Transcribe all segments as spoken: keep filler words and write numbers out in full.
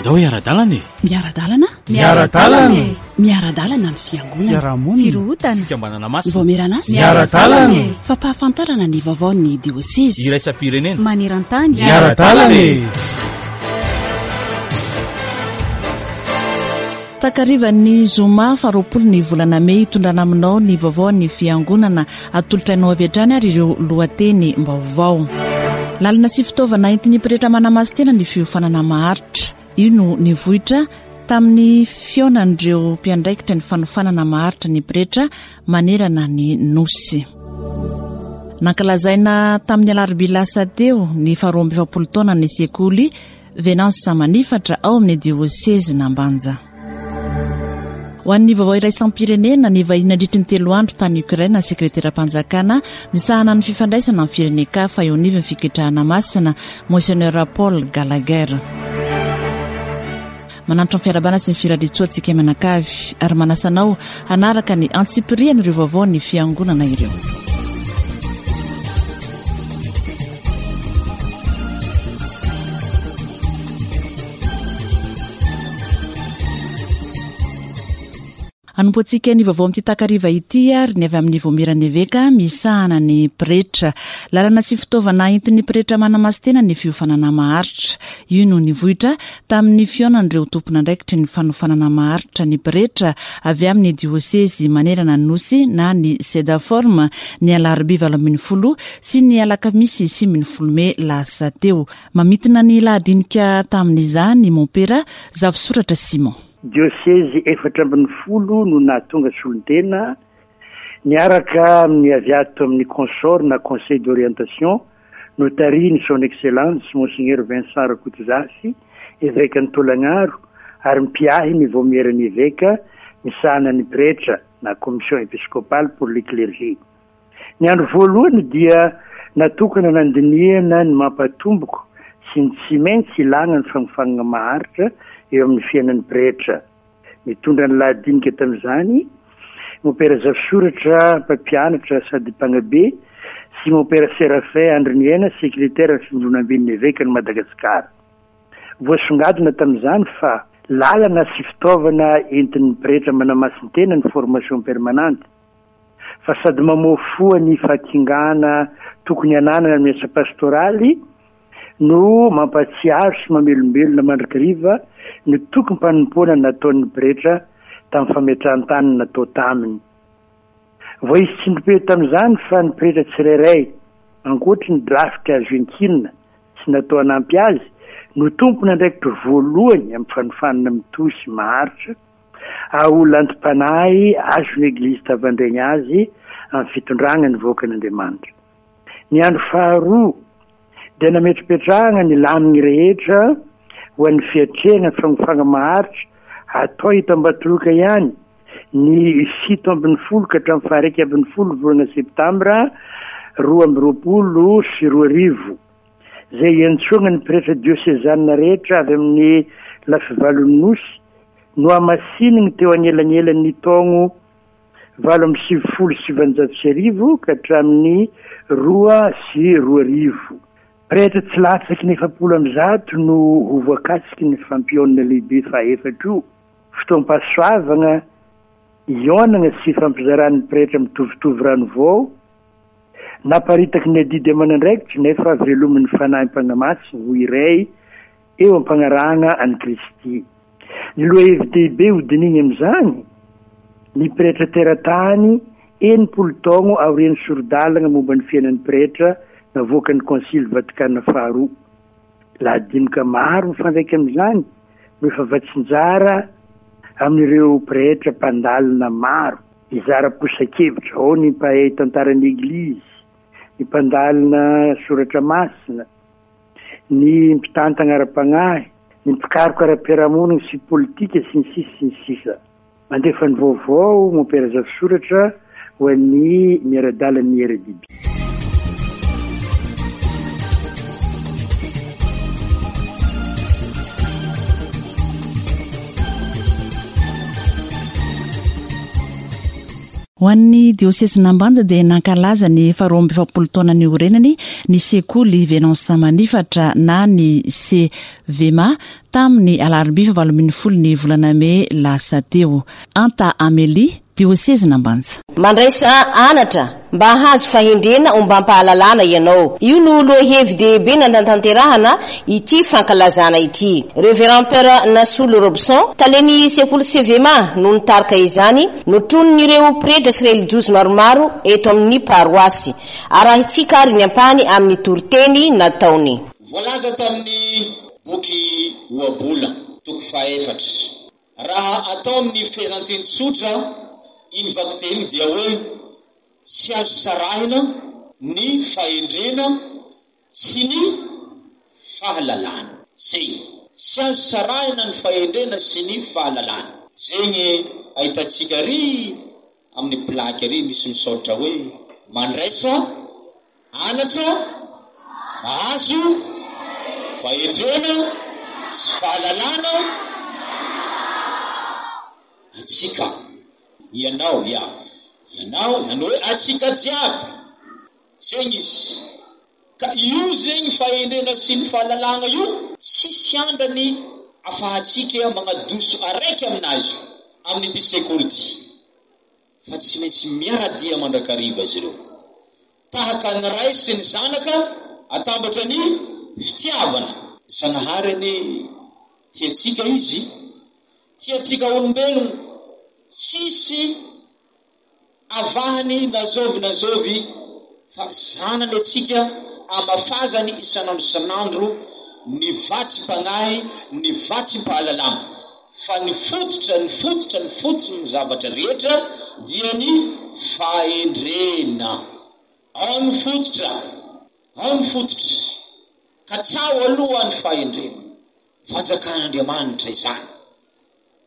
Andao hiara-dalana e! Miara-dalana? Miara-dalana e! Miara-dalana ny fiangonana. Fiarahamonina. Firohotana. Fikambanana masina. Ny vaomieran'asa. Miara-dalana e! Fampahafantarana ny vaovaon'ny diosezy. Iraisam-pirenena. Maneran-tany. Miara-dalana e! Takarivan'ny zoma faharoapolo ny volana mey hitondrana aminao ny vaovaon'ny fiangonana. Atolotra anao avy hatrany ary ireo lohatenim-baovao. Lalana sy fitaovana entin'ny pretra manamasintena ny fiofanana maharitra. Io no nivoitra tamin'ny fihaonan'ireo mpiandraikitra ny fanofanana maharitra ny pretra manerana ny nosy. Nankalazaina tamin'ny alarobia lasa teo ny faharoa amby efapolo taona ny sekoly Venance Manifatra ao amin'ny diosezin'Ambanja. Ho an'ny vaovao iraisam-pirenena, ny vahiny nandritry ny telo andro tany Ukraine, sekreteram-panjakana misahana ny fifandraisana amin'ny firenen-kafa eo anivon'ny fiketrahana masina, Monseigneur Paul Gallagher. Manantitra ny fiarahabana sy ny firariantsoa antsika mianakavy ary manasa anao hanaraka ny antsipirian'ireo vaovao ny fiangonana ireo. Hanompoantsika ny vaovao amin'ity takariva ity ary ny avy amin'ny vaomieran'ny eveka misahana ny pretra. Lalana sy fitaovana entin'ny pretra manamasintena ny fiofanana maharitra. Io no nivoitra tamin'ny fihaonan'ireo tompon'andraikitry ny fanofanana maharitra ny pretra avy amin'ny diosezy manerana ny nosy na ny Sedaform ny alarobia valo ambin'ny folo sy ny alakamisy sivy ambin'ny folo mey lasa teo. Mamintina ny lahadinika tamin'izany mompera Zafisoratra Simon. Diosezy efatra ambin'ny folo no nahatonga solontena niaraka amin'ny avy ato amin'ny consort na conseil d'orientation notarihin'ny son excellence Monseigneur Vincent Rakotozafy, evekan'i Tolagnaro ary mpiahy ny vaomieran'ny eveka misahana ny pretra na commission épiscopale pour le clergé. Ny andro voalohany dia natokana nandinihana ny mampatomboko sy ny tsy maintsy ilàna ny fanofanana maharitra eo amin'ny fiainan'ny pretra. Nitondra ny lahadinika tamin'izany mompera Zafisoratra mpampianatra sady mpanabe sy mompera Séraphin Andriniaina sekretera ny fivondronamben'ny evekan'i Madagasikara. Voasongadina tamin'izany fa lalana sy fitaovana entin'ny pretra manamasintena ny formation permanente, fa sady mamoafoa ny fahakingana tokony hananana amin'ny asa pastoraly no mampatsiaro sy mamelombelona mandrakariva ny tokim-panompoana nataon'ny pretra tamin'ny fametrahan-tany natao taminy. Voaisy tsindrim-peo tamin'izany fa ny pretra tsirairay, ankoatry ny drafitra azo enkinina sy natao hanampy azy, no tompon'andraikitra voalohany amin'ny fanofanana mitohy sy maharitra, aho lantom-panahy azon'ny Eglizy tavandrainy azy amin'ny fitondrana ny vahoakan'Andriamanitra. Ny andro faharoa dia nametrapetrahana ny laminy rehetra ho an'ny fiatrehana ny fanofana maharitra atao eto Ambatoroka ihany ny fito ambin'ny folo ka hatramin'ny faha-iraika ambin'ny folo volana septambra roa amby roapolo sy roa arivo, izay iantsoana ny pretra diosezanina rehetra avy amin'ny lafivalon'ny nosy no hamasininy teo anelanelan'ny taogno valo amby sivifolo sy sivanjato sy arivo ka hatramin'ny roa sy roa arivo. Pretra tsy latsaky ny efapolo amby zato no ho voakasiky ny fampihaonana lehibe fahaefatra io. Fotoam-pahasoavana ionana sy fampizaran'ny pretra mitovitovy rano vao, naparitaky ny adidy aman'andraikitra nefa velomin'ny fanahim-panamasina ho iray eo am-pagnarahana an'i Kristy. Ny lohahevi-dehibe hodinihina amin'izany, ny pretra teratany enimpolo taogno aorian'ny sori-dalana momba ny fiainan'ny pretra navoakan'ny Konsily Vatikana faharoa. Lahadinika maro mifandraika amin'izany no efa vatsinjara amin'ireo pretra mpandalina maro hizara posa-kevitra. Ao ny mpahay tantaran'ny Eglizy, ny mpandalina soratra masina, ny mpitantana ara-panahy, ny mpikaroka ara-piarahamonina sy politika sy ny sisa sy ny sisa. Mandefa ny vaovao mompera Zafisoratra ho an'ny miara-dalan'ny R D B. Ho an'ny diosesin'Ambanja dia nankalaza ny faharoa amby efapolo taona niorenany ny sekoly Venance Manifatra na ny C V M A tamin'ny alarobia fahavalo ambin'ny folo ny volana mey lasa teo. Anta Amélie, diosesin'Ambanja. Mandraisa anatra mba hahazo fahendrena ombam-pahalalana ianao. Io no loha-hevi-dehibe nanatanterahana ity fankalazana ity. Révérend Père Nasolo Robson, talen'ny sekoly C V M A, no nitarika izany, notronin'ireo pretra sy relijiozy maromaro eto amin'ny paroasy. Arahintsika ary ny ampahany amin'ny toriteny nataony. Voalaza tamin'ny boky Ohabolana toko faefatra. Raha atao amin'ny fehezanteny tsotra iny vakiteny iny dia hoe tsy azo sarahina ny fahendrena sy ny fahalalana. Zay tsy azo sarahina ny fahendrena sy ny fahalalana. Zegny ahitantsika ry amin'ny plaque ry misy misaotra hoe mandraisa anatra azo fahendrena sy fahalalana atsika, ianao, ia ianao, zany hoe atsika jiaby zegny izy. Ka io zegny fahendrena sy ny fahalalagna io, tsisy andrany afahantsika magnadoso araiky aminazy io amin'ity sekoly ty, fa tsy maintsy miaradia mandrakariva izy ireo, tahaka ny ray sy ny zanaka atambatra ny fitiavana. Zanahary ane tiatsika izy, tiatsika olombelogno, tsisy avahany na zovy na zovy, fa zanany atsika, amafazany isan'andro isan'andro ny vatsim-pagnahy, ny vatsim-pahalalana. Fa ny fototra, ny fototra, ny fototry ny zavatra rehetra dia ny fahendrena. Ao ny fototra, ao ny fototra. Ka tsao aloha ny fahendrena, fanjakan'Andriamanitra izany,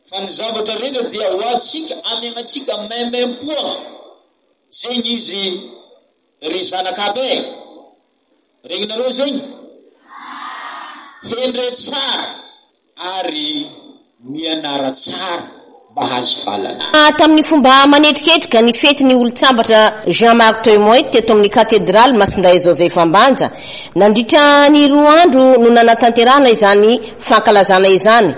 fa ny zavatra rehetra dia ho atsika, amiagnatsika maimaipoana zegny izy. Ry zanakabe, regninareo zegny, hendre tsara ary mianara tsara mba hazo fahalalana. Tamin'ny fomba manetriketrika ny fety ny olon-tsambatra Jean Martin Moy teto amin'ny katedraly Masindahy Joseph Ambanja. Nandritra ny roa andro no nanatanterahana izany fankalazana izany: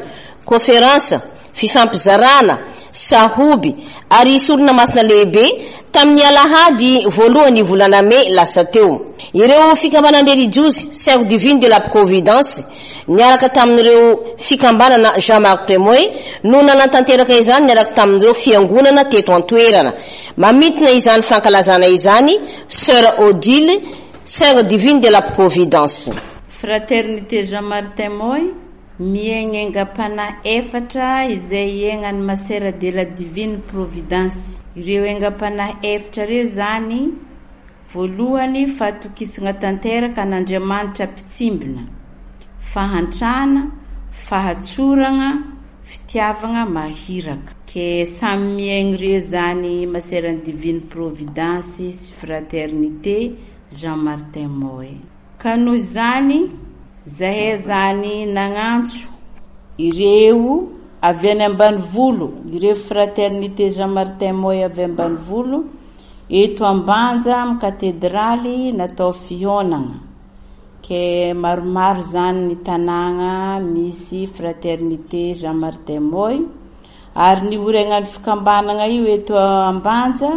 conférence, fifampizarana, sahoby ary sorona masina lehibe. Tamin'ny alahady voalohany volana mey lasa teo, ireo fikambanan-drelijiozy Sœur Divine de la Providence niaraka tamin'ireo fikambanana Jean Martin Moy no nanatanteraka izany, niaraka tamin'ireo fiangonana teto antoerana. Mamintina izany fankalazana izany Sœur Odile, Sœur Divine de la Providence. Fraternité Jean Martin Moy miaigna aingam-panahy efatra izay iainany Masera de la Divine Providence. Ireo aingam-panahy efatra reo zany: voalohany, fahatokisana tanteraka an'Andriamanitra mpitsimbina, fahantrana, fahatsorana, fitiavagna mahiraka. Ke samy miaigny reo zany Maserany Divine Providence sy Fraternité Jean Martin Moy. Ka noho izany zahay zany nagnantso ireo avy any ambanivolo, ireo Fraternité Jean Martin Moy avy ambanivolo eto Ambanja amy katedraly, natao fionagna. Ke maromaro zany ny tanàgna misy Fraternité Jean Martin Moy, ary ny oregnany fikambanana io eto Ambanja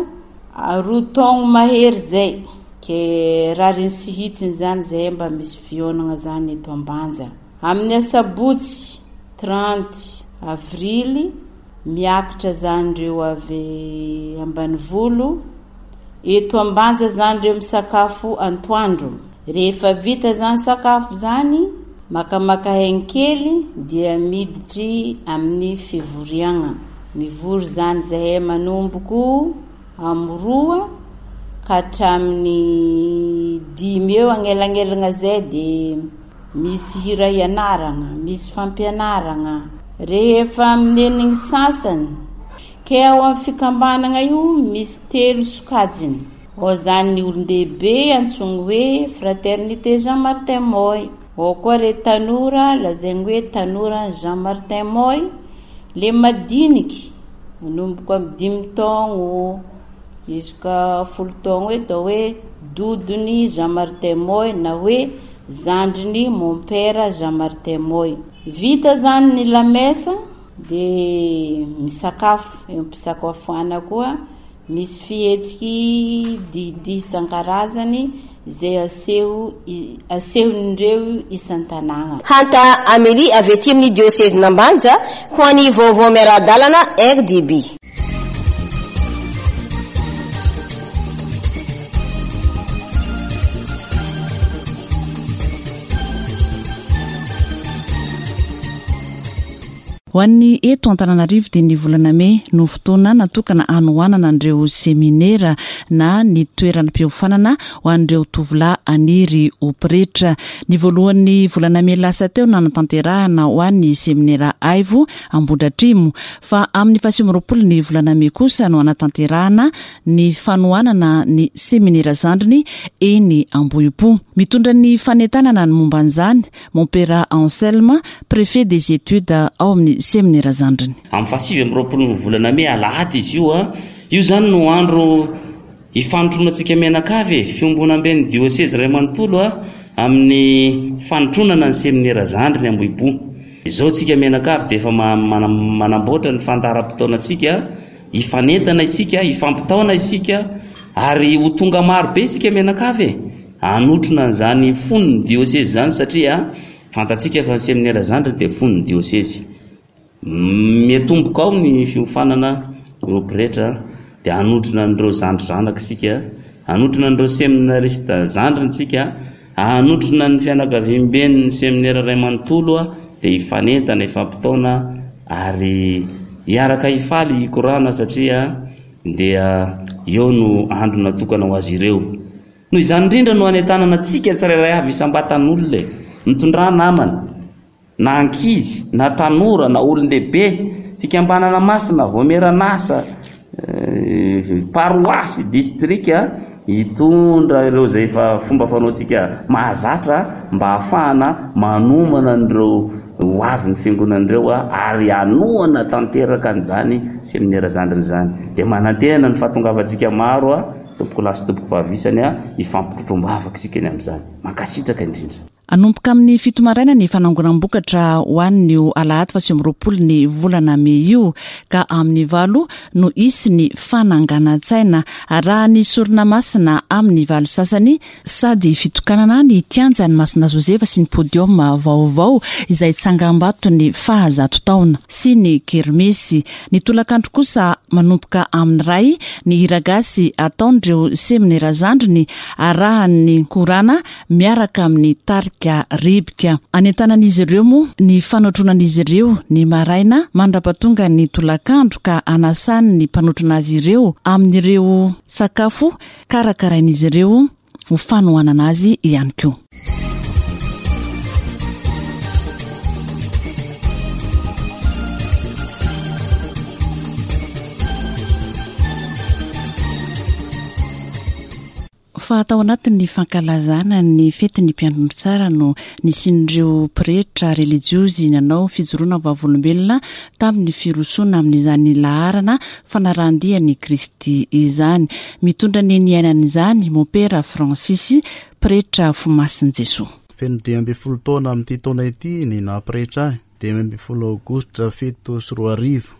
roa taogno mahery zay. Ke rariny sy hitsiny zany zahay mba misy fionagna zany eto Ambanja amin'ny asabotsy trente avrily. Miakatra zany reo avy ambanivolo eto Ambanja zany reo misakafo antoandro. Rehefa vita zany sakafo zany, makamaka haigny kely, dia miditry amin'ny fivoriagna. Mivory zany zahay manomboko amy roa ka hatramin'ny dimy eo agnelagnelagna zay, de misy hira ianaragna, misy fampianaragna. Rehefa amin'ny enigny sasany ke ao amin'ny fikambanana io misy telo sokajiny ao zany: ny olon-dehibe antsogny hoe Fraternité Jean Martin Moy, ao koa re tanora lazaigny hoe tanora Jean Martin Moy, le madiniky manomboka amy dimy taogno. Izy ka folo taogno hoe atao hoe dodony Jean Martin Moy na hoe zandriny mompera Jean Martin Moy. Vita zany ny lamesa dia misakafo, eo am-pisakafoana koa misy fihetsiky dihidihy isan-karazany izay aseho asehon'ireo isan-tanàna. Hanta Amélie avy aty amin'ny diosezin'Ambanja ho an'ny vaovao miara-dalana R D B. Ho an'ny eto Antananarivo dia ny volana mey no fotoana natokana hanohanana an'ireo seminera na ny toeram-piofanana ho an'ireo tovolahy aniry ho pretra. Ny voalohan'ny volana mey lasa teo no nanatanterahana ho an'ny seminera Aivo Ambohidratrimo, fa amin'ny fahasivy amby roapolo ny volana mey kosa no hanatanterahana ny fanohanana ny seminera zandriny eny Ambohipo. Mitondra ny fanentanana ny momba an'izany Mompera Anselme, préfet des études ao amin'ny seminera zandriny. Amin'ny fahasivy amby roapolo ny volana mey alahady izy io a, io zany no andro ifanotronantsika mianakavy e, fiombonamben'ny diosezy iray manontolo a, amin'ny fanotronana ny seminera zandriny Ambohipo. Izao tsika mianakavy dia efa ma-, mana-, manamboatra ny fandaharam-potoanantsika, hifanentana isika, hifampitaona isika, ary ho tonga maro be isika mianakavy e, hanotrona an'izany fon'ny diosezy izany, satria fantatsika fa ny seminera zandriny dia fon'ny diosezy. Miatomboka ao ny fiofanana ireo pretra, dia hanotrona an'ireo zandry zanaka isika, hanotrona an'ireo seminarista zandriny isika, hanotrona ny fianakaviamben'ny seminera iray manontolo a, dia hifanentana, hifampitaona, ary hiaraka hifaly hikorana, satria dia eo no andro natokana ho azy ireo. Noho izany indrindra no hanentanana antsika tsirairay avy isam-batan'olona e, mitondrà namana, na ankizy, na tanora, na olon-dehibe, fikambanana masina, vaomieran'asa, eh, paroasy, distrika, hitondra ireo izay efa fomba fanaontsika mahazatra mba hahafahana manomana an'ireo ho avy ny fiangonan'ireo a, ary hanohana tanteraka an'izany seminera zandriny izany. Dia manantena ny fahatongavantsika maro a, tompoko lahy sy tompoko vavy isany a, hifampitrotrombavaka isika ny amin'izany. Mankasitraka indrindra. Hanomboka amin'ny fito maraina ny fanangonam-bokatra ho an'io alahady fahasivy amby roapolo ny volana mey io, ka amin'ny valo no hisy ny fananganan-tsaina raha ny sorona masina amin'ny valo sasany, sady fitokanana ny kianjan'ny Masina Josefa sy ny podium vaovao izay tsangambaton'ny fahazato taona sy ny kermesy. Ny tolakandro kosa manomboka amin'ny ray ny hiragasy ataon'ireo seminera zandriny arahan'ny korana miaraka amin'ny tarika rebika. Anentanan'izy ireo moa ny fanotronan'izy ireo ny maraina mandra-pahatonga ny tolakandro, ka anasany ny mpanotrona azy ireo amin'ireo sakafo karakarain'izy ireo ho fanohanana azy ihany koa. Fa tao anatin'ny fankalazana ny fetin'ny mpiandry tsara no nisian'ireo pretra relijiozy nanao fijoroana vavolombelona tamin'ny firosoana amin'izany laharana fanarahan-dian'i Kristy izany. Mitondra ny niainan'izany Mompera Francis, pretra fomasin'i Jesoa. Feno dimy ambin'ny folo taona amin'ity taona ity ny naha-pretra ahy, dimy ambin'ny folo aogositra fito sy roa arivo,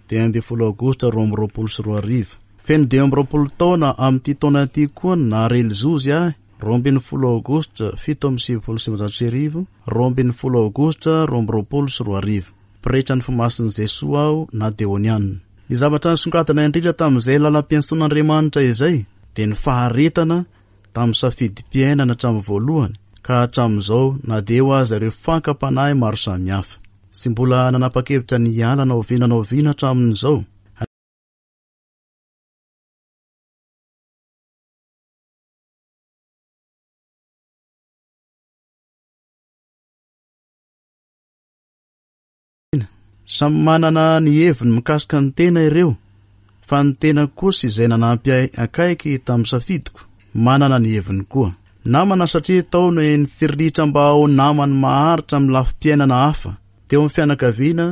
dimy ambin'ny folo aogositra roa amby roapolo sy roa arivo. Feno dimy amby roapolo taona amin'ity taona ity koa ny naha-relijiozy ahy, roa ambin'ny folo aogositra fito amby sivifolo sy sivinjato sy arivo, roa ambin'ny folo aogositra roa amby roapolo sy roa arivo. Pretra ny fomasin'i Jesoa aho na deonianina. Ny zavatra nisongadina indrindra tamin'izay lalam-piantsoan'Andriamanitra izay dia ny faharetana tamin'ny safidim-piainana hatramin'ny voalohany ka hatramin'izao, na dia eo aza ireo fankam-panahy maro samihafa. Tsy mbola nanapa-kevitra ny hiala na oviana na oviana hatramin'izao. Samy manana ny heviny mikasika ny tena ireo, fa ny tena kosa izay nanampy ahy akaiky tamin'ny safidiko, manana ny heviny koa. Namana satria tao no nitsiriritra mba ho namany maharitra amin'ny lafim-piainana hafa, teo amin'ny fianakaviana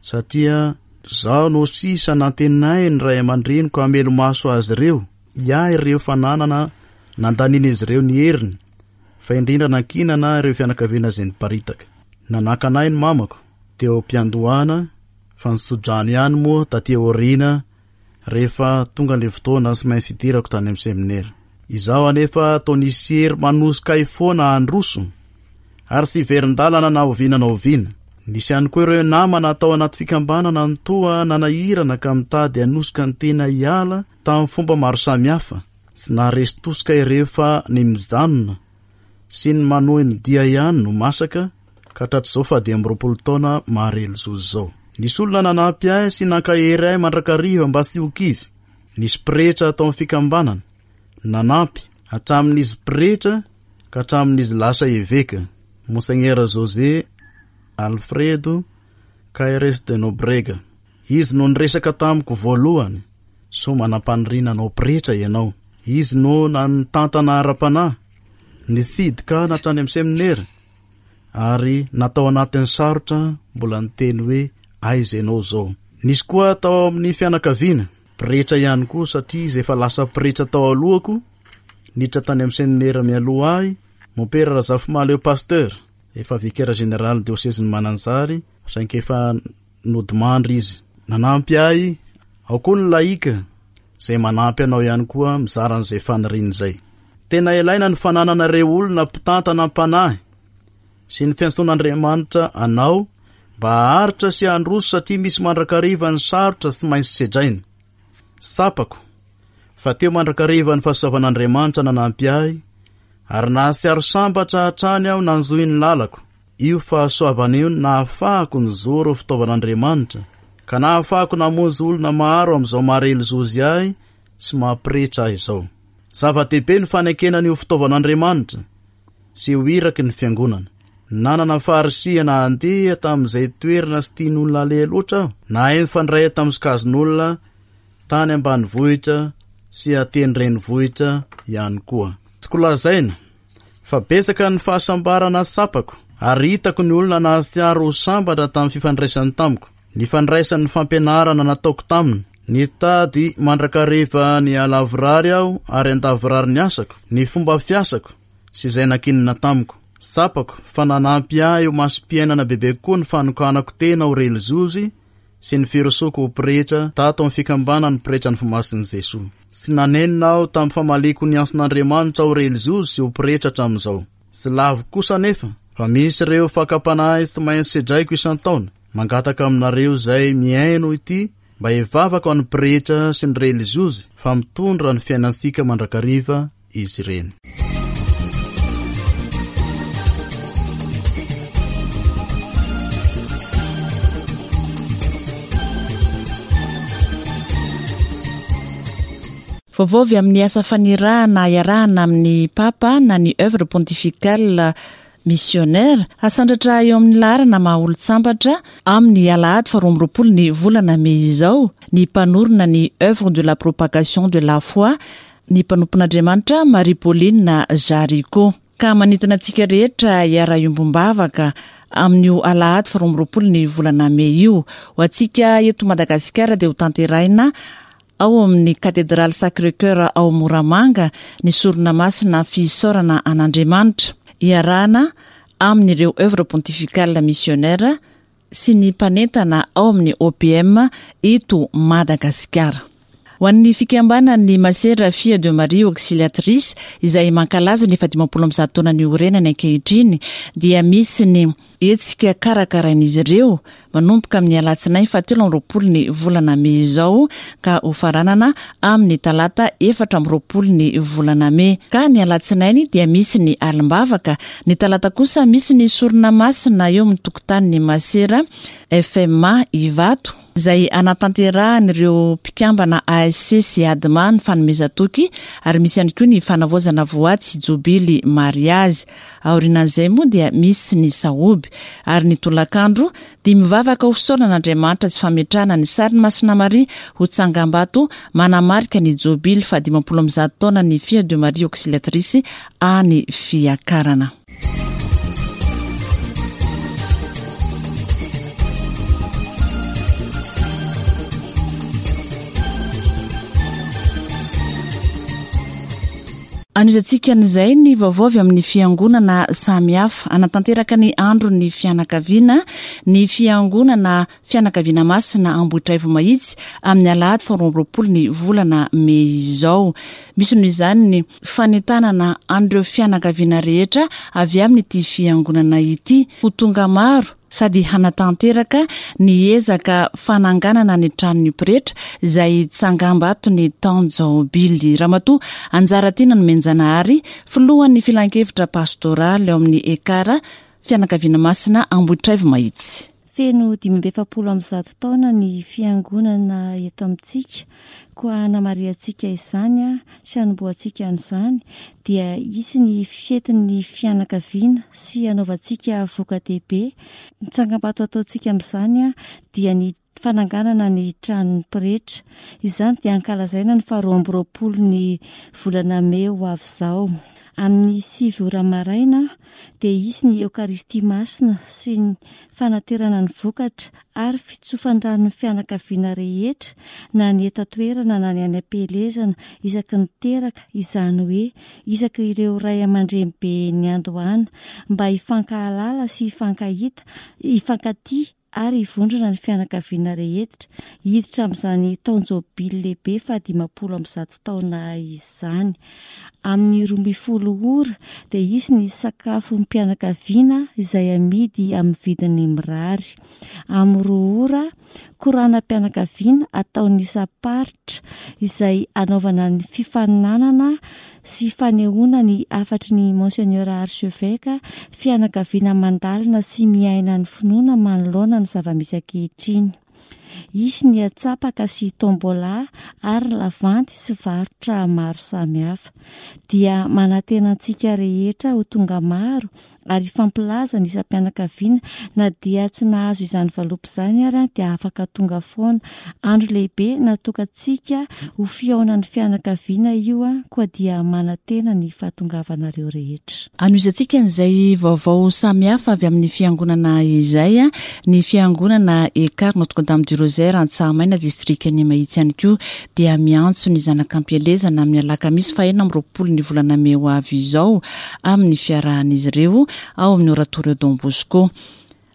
satria Izaho no sisa nantenain'ny ray aman-dreniko hamelo-maso azy ireo, hiahy ireo fananana nandanian'izy ireo ny heriny, fa indrindra nankinana ireo fianakaviana izay niparitaka. Nanakana ahy ny mamako teo am-piandohana, fa nitso-drano ihany moa taty aoriana rehefa tonga ilay fotoana tsy maintsy hidirako tany amin'ny seminera. Izaho anefa toa nisy hery manosika ahy foana handroso ary tsy hiverin-dalana na oviana na oviana. Nisy ihany koa ireo namana tao anaty fikambanana no toa nanahirana ka mitady hanosika ny tena hiala tamin'ny fomba maro samihafa. Tsy naharesy tosika ireo fa ny mijanona sy ny manohy ny dia ihany no masaka ka hatratr'izao fahadimy amby roapolo taona maha-relizozy izao. Nisy olona nanampy ahy sy nankahery ahy mandrakariva mba tsy ho kivy. Nisy pretra tao amin'ny fikambanana nanampy hatramin'izy pretra ka hatramin'izy lasa eveka, Monseigneur José Alfredo Caires de Nobrega. Izy no niresaka tamiko voalohany, sao manam-paniriana hanao pretra ianao. Izy no nitantana ara-panahy, nitsidika ahy hatrany amin'ny seminera, ary natao anatin'ny sarotra mbola niteny hoe aiza ianao izao. Nisy koa tao amin'ny fianakaviana, pretra ihany koa satria izy efa lasa pretra tao alohako, niditra tany amin'ny seminera mialoha ahy, Mompera Razafimahaleo Pasteur, efa vicaire général diosezin'i Mananjary, saingy efa nodimandry izy. Nanampy ahy, ao koa ny laika izay manampy anao ihany koa mizara an'izay faniriana izay. Tena ilaina ny fananana ireo olona mpitantana am-panahy sy ny fiantsoan'Andriamanitra anao mba haharitra sy handroso satria misy mandrakariva ny sarotra tsy maintsy sedraina. Tsapako fa teo mandrakariva ny fahasoavan'Andriamanitra nanampy ahy ary nahatsiaro sambatra hatrany aho nanjohy ny lalako. Io fahasoavana io no nahafahako nijoro ho fitaovan'Andriamanitra ka nahafahako namonjy olona maro amin'izao maha-relizozy ahy sy maha-pretra ahy izao. Zava-dehibe ny fanekena ny ho fitaovan'Andriamanitra sy ho iraky ny fiangonana. Nanana faharisihana handeha tamin'izay toerana tsy tian'olona aleha loatra aho. Nahay nifandray tamin'ny sokajin'olona tany ambanivohitra sy aty an-drenivohitra ihany koa. Tsy kolazaina fa betsaka ny fahasambarana tsapako ary hitako ny olona nahatsiaro ho sambatra tamin'ny fifandraisany tamiko, ny fandraisan'ny fampianarana nataoko taminy. Nitady mandrakariva ny halavorary aho ary handavorary ny asako, ny fomba fiasako sy izay nankinina tamiko. Tsapako fa nanampy ahy ho masom-piainana bebe kokoa ny fanokanako tena ho relizozy sy ny firosoako ho pretra tato amin'ny fikambanan'ny pretran'ny Fomasin'i Jesoa. Tsy nanenina aho tamin'ny famaliako ny antson'Andriamanitra ho relizozy sy ho pretra hatramin'izao. Tsy laviko kosa anefa fa misy ireo fakam-panahy tsy maintsy sedraiko isan-taona. Mangataka aminareo izay mihaino ity mba hivavaka ho an'ny pretra sy ny relizozy fa mitondra ny fiainantsika mandrakariva izy ireny. Vaovao avy amin'ny asa fanirahana iarahana amin'ny Papa na ny œuvre pontificale missionnaire hasandratra eo amin'ny laharana maha olon-tsambatra amin'ny alahady faharoa amby roapolo ny volana mey izao ny mpanorina ny œuvre de la propagation de la foi ny mpanompon'Andriamanitra Marie Pauline Jaricot. Ka manintona antsika rehetra hiara-iombom-bavaka amin'io alahady faharoa amby roapolo ny volana mey io. Ho antsika eto Madagasikara dia ho tanterahina ao amin'ny Katedraly Sacré-Cœur ao Moramanga ny sorona masina fisaorana an'Andriamanitra iarahana amin'ireo œuvre pontificale missionnaire sy ny mpanentana ao amin'ny O P M eto Madagasikara. Ho an'ny fikambanan'ny Masera Fille de Marie Auxiliatrice izay mankalaza ny fahadimampolo amby zato taona niorenany ankehitriny dia misy ny hetsika karakarain'izy ireo manomboka amin'ny alatsinainy fahatelo amby roapolo ny volana mey izao ka ho faranana amin'ny talata efatra amby roapolo ny volana mey. Ka ny alatsinainy dia misy ny alim-bavaka, ny talata kosa misy ny sorona masina eo amin'ny tokotanin'ny Masera F M A Ivato izay anatanterahan'ireo mpikambana A S C sy A D M A ny fanomezan-toky ary misy ihany koa ny fanavaozana voady sy jobily mariazy. Aorianan'izay moa dia misy ny sahoby ary ny tolakandro dia mivavaka ho fisaorana an'Andriamanitra sy fametrahana ny sarin'i Masina Maria ho tsangambato manamarika ny jobily fahadimampolo amby zato taona ny Fille de Marie Auxiliatrice any Fiakarana. Anohizantsika an'izay ny vaovao avy amin'ny fiangonana samihafa. Hanatanteraka ny andron'ny fianakaviana ny fiangonana Fianakaviana Masina Ambohitraivo Mahitsy amin'ny alahady faharoa amby roapolo ny volana mey izao. Misy noho izany ny fanentanana an'ireo fianakaviana rehetra avy amin'ity fiangonana ity ho tonga maro sady hanatanteraka ny ezaka fananganana ny tranon'ny pretra izay tsangambato ny taon-jaobily. Ramatoa Anjaratiana Nomenjanahary, filohan'ny filankevitra pastoraly ao amin'ny Ekara Fianakaviana Masina Ambohitraivo Mahitsy. Feno dimy amby efapolo amby zato taona ny fiangonana eto amintsika, koa hanamarihantsika izany a sy hanombohantsika an'izany dia hisy ny fetin'ny fianakaviana sy hanaovantsika voka-dehibe. Ny tsangambato ataontsika amin'izany a dia ny fananganana ny tranon'ny pretra. Izany dia ankalazaina ny faharoa amby roapolo ny volana mey ho avy izao. Amin'ny sivy ora maraina dia hisy ny Eokaristia Masina sy ny fanaterana ny vokatra ary fitsofan-dranon'ny fianakaviana rehetra na ny eto an-toerana na ny any am-pielezana isaky ny teraka, izany hoe isaky ireo ray aman-dreny be niandohana mba hifankahalala sy hifankahita, hifankatia ary hivondrona ny fianakaviana rehetra hiditra amin'izany taon-jobily lehibe fahadimampolo amby zato taona izany. Amin'ny roa ambin'ny folo ora dia hisy ny sakafom-pianakaviana izay amidy amin'ny vidiny mirary. Amin'ny roa ora, koranam-pianakaviana ataon'ny isam-paritra izay anaovana ny fifaninanana sy fanehoana ny hafatry ny Monseigneur Archevêque, fianakaviana mandalina sy miaina ny finoana manoloana ny zava-misy ankehitriny. Hisy ny atsapaka sy tombola ary lavanty sy varotra maro samihafa. Dia manantena antsika rehetra ho tonga maro ary hifampilaza ny isam-pianakaviana na dia tsy nahazo izany valopy izany ary dia afaka tonga foana. Andro lehibe natokantsika ho fihaonan'ny fianakaviana io, koa dia manantena ny fahatongavanareo rehetra. Anohizantsika an'izay vaovao samihafa avy amin'ny fiangonana izay, ny fiangonana Ekar Notre-Dame du Rosaire Antsahamaina distrikan'i Mahitsy ihany koa dia miantso ny zanak'ampielezana amin'ny alakamisy fahenina amby roapolo ny volana mey ho avy izao amin'ny fiarahan'izy ireo ao amin'ny Oratorio Don Bosco.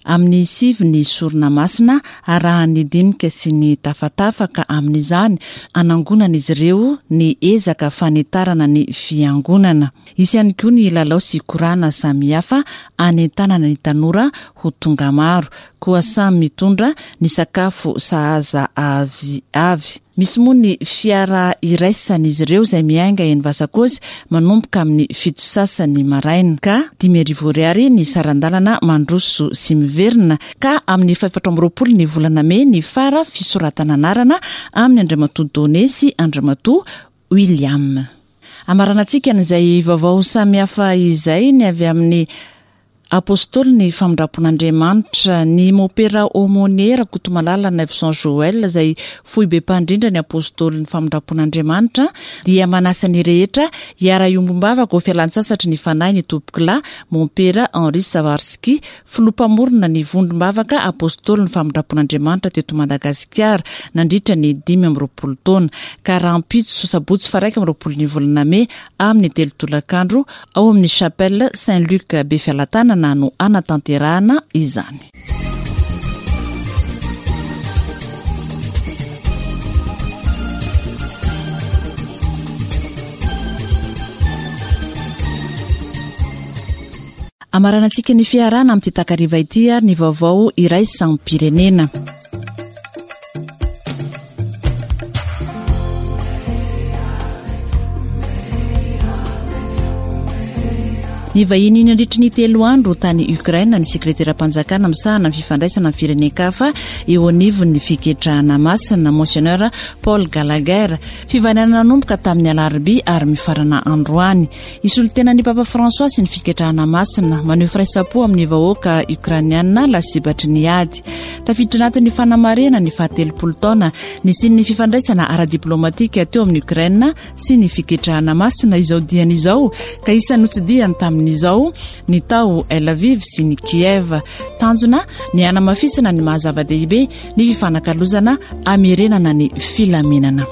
Amin'ny sivy ny sorona masina arahan'ny dinika sy ny tafatafa ka amin'izany anangonan'izy ireo ny ezaka fanitarana ny fiangonana. Hisy ihany koa ny lalao sy korana samihafa anentanana ny tanora ho tonga maro, koa samy mitondra ny sakafo sahaza avy avy. Misy moa ny fiara iraisan'izy ireo izay miainga eny Vasakozy manomboka amin'ny fito sasany maraina ka dimy arivo ariary ny saran-dalana mandroso sy miverina, ka amin'ny fahefatra amby roapolo ny volana mey ny fara fisoratana anarana amin'ny Andriamatoa Donné sy Andriamatoa William. Amaranantsika an'izay vaovao samihafa izay ny avy amin'ny Apôstôly ny famindram-pon'Andriamanitra, ny Mopera Aumônier Rakotomalala Naivoson Joël izay foibe mpandrindra ny Apôstôly ny famindram-pon'Andriamanitra dia manasa ny rehetra hiara-hiombom-bavaka ho fialan-tsasatry ny fanahy ny tompokolahy Mompera Henri Savarski, filoha mpamorona ny vondrom-bavaka Apôstôly ny famindram-pon'Andriamanitra teto Madagasikara nandritra ny dimy amby roapolo taona, ka rahampitso sabotsy faraika amby roapolo ny volana mey amin'ny telo tolakandro ao amin'ny Chapelle Saint-Luc Befialatanana no anatanterahana izany. Amaranantsika ny fiarahana amin'ity takariva ity ary ny vaovao iraisam-pirenena. Ny vahiny nandritry ny telo andro tany Ukraine ny sekreteram-panjakana misahana ny fifandraisana amin'ny firenen-kafa eo anivon'ny fiketrahana masina Monseigneur Paul Gallagher. Fivainana nanomboka tamin'ny alarobia ary mifarana androany. Hisolo-tena ny Papa François sy ny fiketrahana masina maneho firaisam-po amin'ny vahoaka ukrainiana lasibatry ny ady. Tafiditra anatin'ny fanamarihana ny fahatelopolo taona nisian'ny fifandraisana ara-diplomatika teo amin'ny Ukraine sy ny fiketrahana masina izao diany izao, ka isan'ny notsidihany tamin'izao ny tao Lviv sy ny Kiev. Tanjona ny hanamafisana ny maha zava-dehibe ny fifanakalozana hamerenana ny filaminana.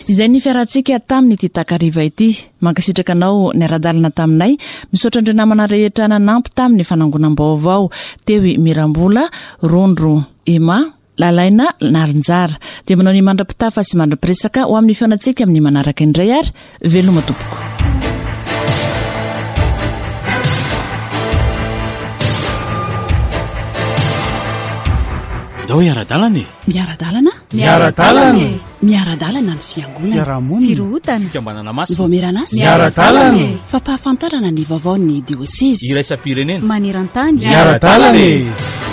Izay ny fiarahantsika tamin'ity takariva ity. Mankasitraka anao niara-dalana taminay. Misaotra andreo namana rehetra nanampy tamin'ny fanangonam-baovao. Teo i Mirambola, Rondro, Emma, Lalaina, Narinjara. Dia manao ny mandra-pitafa sy mandra-piresaka ho amin'ny fihaonantsika amin'ny manaraka indray ary veloma tompoko. Ndao hiara-dalana e. Miara-dalana? Miara-dalana e. Miara-dalana ny fiangonana. Fiarahamonina. Firohotana. Fikambanana masina. Vaomieran'asa. Miara-dalana e. Fampahafantarana ny vaovaon'ny diosezy. Iraisam-pirenena. Maneran-tany. Miara-dalana e.